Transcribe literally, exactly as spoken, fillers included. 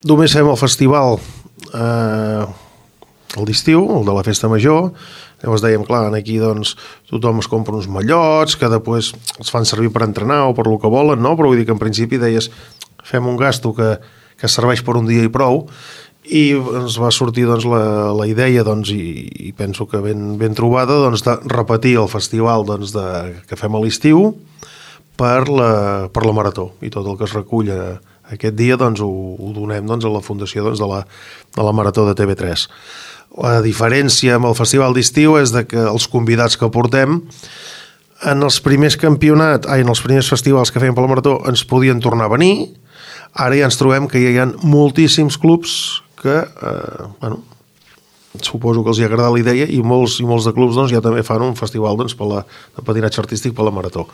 Només fem el festival eh, el d'estiu, el de la festa major. Llavors dèiem, clar, aquí doncs, tothom es compra uns mallots que després els fan servir per entrenar o per el que volen, no? Però vull dir que en principi deies fem un gasto que, que serveix per un dia i prou, i ens va sortir doncs, la, la idea, doncs, i, i penso que ben, ben trobada, doncs, de repetir el festival doncs, de, que fem a l'estiu per la, per la marató, i tot el que es recull aquest dia doncs, ho, ho donem doncs, a la fundació doncs, de, la, de la Marató de T V tres. La diferència amb el festival d'estiu és de que els convidats que portem en els primers campionats, ai, en els primers festivals que fèiem per la Marató ens podien tornar a venir. Ara ja ens trobem que hi ha moltíssims clubs que, eh, bueno, suposo que els hi agrada la idea, i molts, i molts de clubs doncs, ja també fan un festival doncs, per la, de patinatge artístic per la Marató.